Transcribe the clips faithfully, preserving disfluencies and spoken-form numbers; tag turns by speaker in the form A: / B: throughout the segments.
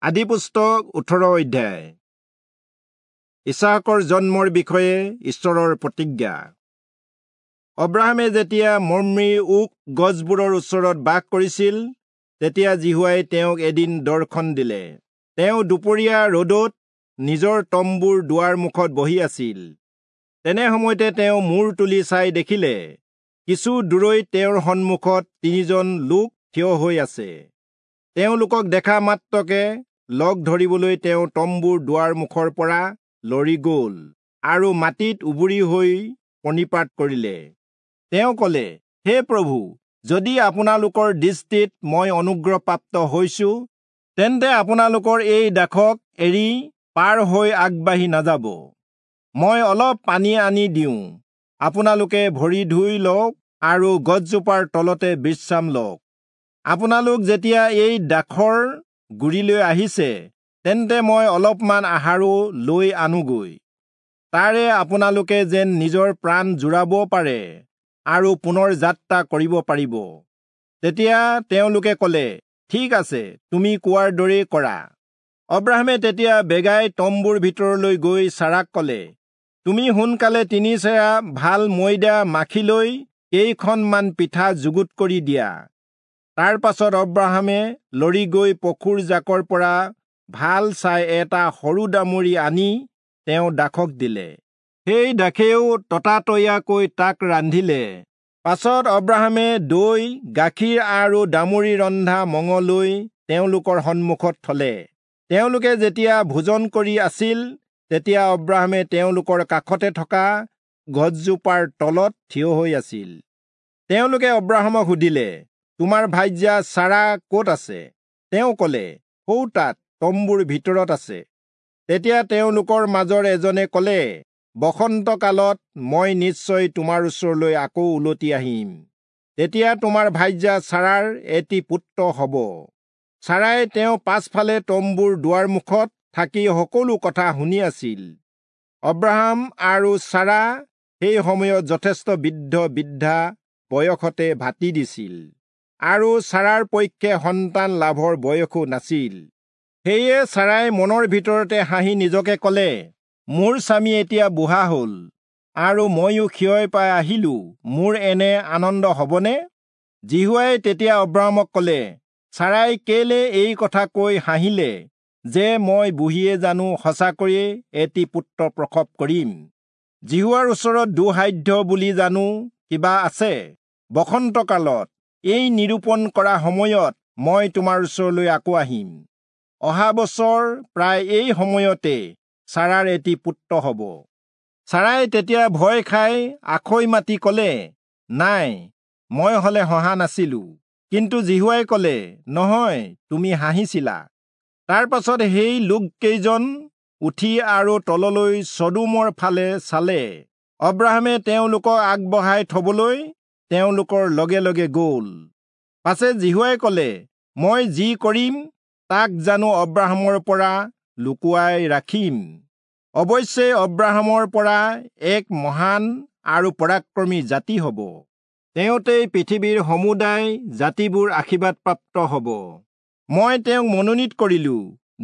A: আদিপুস্তক ওঠৰ অধ্যায়। ইছাকৰ জন্মৰ বিষয়ে ঈশ্বৰৰ প্ৰতিজ্ঞা। অব্ৰাহামে যেতিয়া মম্ৰিৰ ওক গছবোৰৰ ওচৰত বাস কৰিছিল, তেতিয়া যিহোৱাই তেওঁক এদিন দৰ্শন দিলে। তেওঁ দুপৰীয়া ৰ'দত নিজৰ তম্বুৰ দুৱাৰ মুখত বহি আছিল। তেনে সময়তে তেওঁ মূৰ তুলি চাই দেখিলে, কিছু দূৰৈত তেওঁৰ সন্মুখত তিনিজন লোক থিয় হৈ আছে। তেওঁলোকক দেখা মাত্ৰকে লগ ধৰিবলৈ তেওঁ তম্বুৰ দুৱাৰ মুখৰ পৰা লৰি গ'ল আৰু মাটিত উবুৰি হৈ প্ৰণিপাত কৰিলে। তেওঁ ক'লে, হে প্ৰভু, যদি আপোনালোকৰ দৃষ্টিত মই অনুগ্ৰহপ্ৰাপ্ত হৈছো, তেন্তে আপোনালোকৰ এই দাসক এৰি পাৰ হৈ আগবাঢ়ি নাযাব। মই অলপ পানী আনি দিওঁ, আপোনালোকে ভৰি ধুই লওক আৰু গছজোপাৰ তলতে বিশ্ৰাম লওক। আপোনালোক যেতিয়া এই দাসৰ গুৰিলৈ আহিছে, তেন্তে মই অলপমান আহাৰো লৈ আনোগৈ, তাৰে আপোনালোকে যেন নিজৰ প্ৰাণ জোৰাব পাৰে আৰু পুনৰ যাত্ৰা কৰিব পাৰিব। তেতিয়া তেওঁলোকে ক'লে, ঠিক আছে, তুমি কোৱাৰ দৰেই কৰা। অব্ৰাহামে তেতিয়া বেগাই তম্বুৰ ভিতৰলৈ গৈ চাৰাক ক'লে, তুমি সোনকালে তিনি চেৰা ভাল ময়দা মাখি লৈ কেইখনমান পিঠা যুগুত কৰি দিয়া। তাৰ পাছত অব্ৰাহামে লৰি গৈ পশুৰ জাকৰ পৰা ভাল চাই এটা সৰু দামুৰি আনি তেওঁ দাসক দিলে। সেই দাসেও ততাতৈয়াকৈ তাক ৰান্ধিলে। পাছত অব্ৰাহামে দৈ, গাখীৰ আৰু দামুৰি ৰন্ধা মঙহ লৈ তেওঁলোকৰ সন্মুখত থলে। তেওঁলোকে যেতিয়া ভোজন কৰি আছিল, তেতিয়া অব্ৰাহামে তেওঁলোকৰ কাষতে থকা গছজোপাৰ তলত থিয় হৈ আছিল। তেওঁলোকে অব্ৰাহামক সুধিলে, তোমাৰ ভাৰ্যা চাৰা ক'ত আছে? তেওঁ ক'লে, সৌ তাত তম্বুৰ ভিতৰত আছে। তেতিয়া তেওঁলোকৰ মাজৰ এজনে ক'লে, বসন্তকালত মই নিশ্চয় তোমাৰ ওচৰলৈ আকৌ উলটি আহিম, তেতিয়া তোমাৰ ভাৰ্যা চাৰাৰ এটি পুত্ৰ হ'ব। চাৰাই তেওঁ পাছফালে তম্বুৰ দুৱাৰ মুখত থাকি সকলো কথা শুনি আছিল। অব্ৰাহাম আৰু চাৰা সেই সময়ত যথেষ্ট বৃদ্ধ বৃদ্ধা বয়সতে ভাটি দিছিল, আৰু চাৰাৰ পক্ষে সন্তান লাভৰ বয়সো নাছিল। সেয়ে চাৰাই মনৰ ভিতৰতে হাঁহি নিজকে ক'লে, মোৰ স্বামী এতিয়া বুঢ়া হ'ল আৰু ময়ো ক্ষয় পাই আহিলো, মোৰ এনে আনন্দ হ'বনে? যিহোৱাই তেতিয়া অব্ৰাহামক ক'লে, চাৰাই কেলে এই কথা কৈ হাঁহিলে যে মই বুঢ়ীয়ে জানো সঁচাকৈয়ে এটি পুত্ৰ প্ৰসৱ কৰিম? যিহোৱাৰ ওচৰত দুঃসাধ্য বুলি জানো কিবা আছে? বসন্তকালত এই নিৰূপণ কৰা সময়ত মই তোমাৰ ওচৰলৈ আকৌ আহিম। অহা বছৰ প্ৰায় এই সময়তে চাৰাৰ এটি পুত্ৰ হ'ব। চাৰাই তেতিয়া ভয় খাই আখৈ মাতি ক'লে, নাই, মই হ'লে হহা নাছিলো। কিন্তু যিহোৱাই ক'লে, নহয়, তুমি হাঁহিছিলা। তাৰ পাছত সেই লোককেইজন উঠি আৰু তললৈ চদোমৰ ফালে চালে। অব্ৰাহামে তেওঁলোকক আগবঢ়াই থবলৈ তেওঁলোকৰ লগে লগে গ'ল। পাছে যিহোৱাই ক'লে, মই যি কৰিম তাক জানো অব্ৰাহামৰ পৰা লুকুৱাই ৰাখিম? অৱশ্যে অব্ৰাহামৰ পৰা এক মহান আৰু পৰাক্ৰমী জাতি হ'ব। তেওঁতেই পৃথিৱীৰ সমুদায় জাতিবোৰ আশীৰ্বাদপ্ৰাপ্ত হ'ব। মই তেওঁক মনোনীত কৰিলো,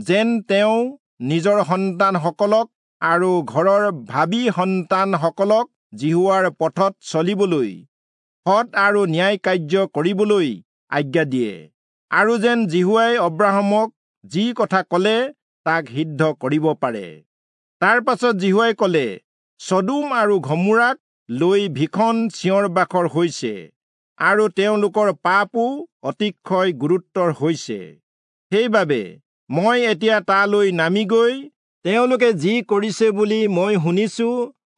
A: যেন তেওঁ নিজৰ সন্তানসকলক আৰু ঘৰৰ ভাবী সন্তানসকলক যিহোৱাৰ পথত চলিবলৈ, সৎ আৰু ন্যায় কাৰ্য কৰিবলৈ আজ্ঞা দিয়ে, আৰু যেন যিহোৱাই অব্ৰাহামক যি কথা ক'লে তাক সিদ্ধ কৰিব পাৰে। তাৰ পাছত যিহোৱাই ক'লে, চদোম আৰু ঘমোৰাক লৈ ভীষণ চিঞৰ বাখৰ হৈছে, আৰু তেওঁলোকৰ পাপো অতিশয় গুৰুত্বৰ হৈছে। সেইবাবে মই এতিয়া তালৈ নামি গৈ তেওঁলোকে যি কৰিছে বুলি মই শুনিছো,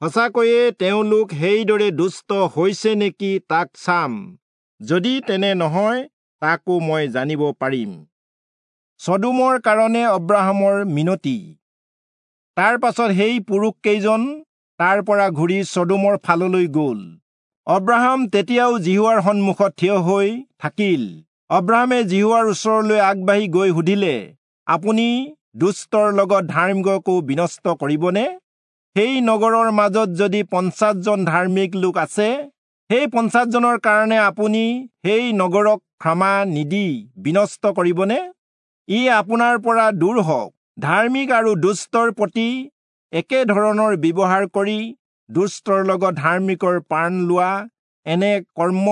A: সঁচাকৈয়ে তেওঁলোক সেইদৰে দুষ্ট হৈছে নেকি তাক চাম। যদি তেনে নহয়, তাকো মই জানিব পাৰিম। চদোমৰ কাৰণে অব্ৰাহামৰ মিনতি। তাৰ পাছত সেই পুৰুষকেইজন তাৰ পৰা ঘূৰি চদোমৰ ফাললৈ গ'ল। অব্ৰাহাম তেতিয়াও যিহোৱাৰ সন্মুখত থিয় হৈ থাকিল। অব্ৰাহামে যিহোৱাৰ ওচৰলৈ আগবাঢ়ি গৈ সুধিলে, আপুনি দুষ্টৰ লগত ধাৰ্মিককো বিনষ্ট কৰিবনে? সেই নগৰৰ মাজত যদি পঞ্চাছজন ধাৰ্মিক লোক আছে, সেই পঞ্চাছজনৰ কাৰণে আপুনি সেই নগৰক ক্ষমা নিদি বিনষ্ট কৰিবনে? ই আপোনাৰ পৰা দূৰ হওক। ধাৰ্মিক আৰু দুষ্টৰ প্ৰতি একে ধৰণৰ ব্যৱহাৰ কৰি দুষ্টৰ লগত ধাৰ্মিকৰ প্ৰাণ লোৱা এনে কৰ্ম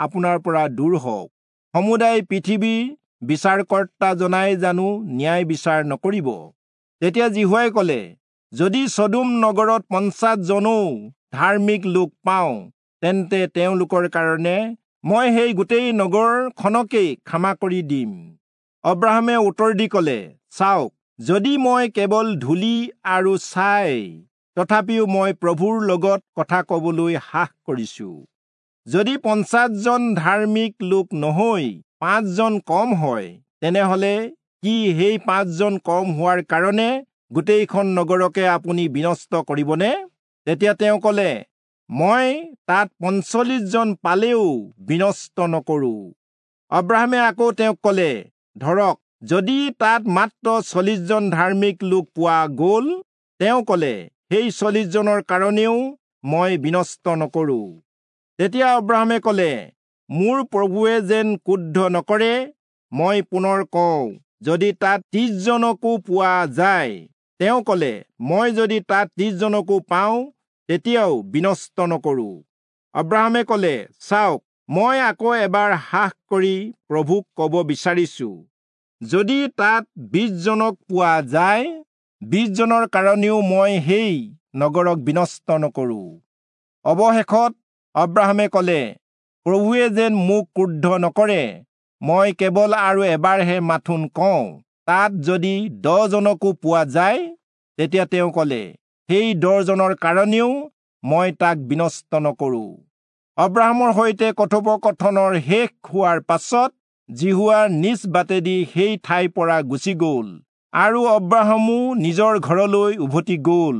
A: আপোনাৰ পৰা দূৰ হওক। সমুদায় পৃথিৱীৰ বিচাৰকৰ্তাজনাই জানো ন্যায় বিচাৰ নকৰিব? তেতিয়া যিহোৱাই কলে, যদি চদোম নগৰত পঞ্চাছজনো ধাৰ্মিক লোক পাওঁ, তেন্তে তেওঁলোকৰ কাৰণে মই সেই গোটেই নগৰখনকেই ক্ষমা কৰি দিম। অব্ৰাহামে উত্তৰ দি কলে, চাওক, যদি মই কেৱল ধূলি আৰু ছাই, তথাপিও মই প্ৰভুৰ লগত কথা কবলৈ সাহ কৰিছো। যদি পঞ্চাছজন ধাৰ্মিক লোক নহৈ পাঁচজন কম হয়, তেনেহলে কি সেই পাঁচজন কম হোৱাৰ কাৰণে গোটেইখন নগৰকে আপুনি বিনষ্ট কৰিবনে? তেতিয়া তেওঁ কলে, মই তাত পঞ্চল্লিছজন পালেও বিনষ্ট নকৰো। অব্ৰাহামে আকৌ তেওঁক কলে, ধৰক, যদি তাত মাত্ৰ চল্লিছজন ধাৰ্মিক লোক পোৱা গ'ল? তেওঁ কলে, সেই চল্লিছজনৰ কাৰণেও মই বিনষ্ট নকৰো। তেতিয়া অব্ৰাহামে কলে, মোৰ প্ৰভুৱে যেন ক্ৰুদ্ধ নকৰে, মই পুনৰ কওঁ, যদি তাত ত্ৰিছজনকো পোৱা যায়? তেওঁ কলে, মই যদি তাত ত্ৰিছজনকো পাওঁ, তেতিয়াও বিনষ্ট নকৰো। অব্ৰাহামে কলে, চাওক, মই আকৌ এবাৰ সাহ কৰি প্ৰভুক কব বিচাৰিছো, যদি তাত বিছজনক পোৱা যায়, বিছজনৰ কাৰণেও মই সেই নগৰক বিনষ্ট নকৰো। অৱশেষত অব্ৰাহামে কলে, প্ৰভুৱে যেন মোক ক্ৰুদ্ধ নকৰে, মই কেৱল আৰু এবাৰহে মাথোন কওঁ, তাত যদি দহজনকো পোৱা যায়? তেতিয়া তেওঁ কলে, সেই দহজনৰ কাৰণেও মই তাক বিনষ্ট নকৰো। অব্ৰাহামৰ সৈতে কথোপকথনৰ শেষ হোৱাৰ পাছত যিহোৱা নিজ বাটেদি সেই ঠাইৰ পৰা গুচি গ'ল, আৰু অব্ৰাহামো নিজৰ ঘৰলৈ উভতি গ'ল।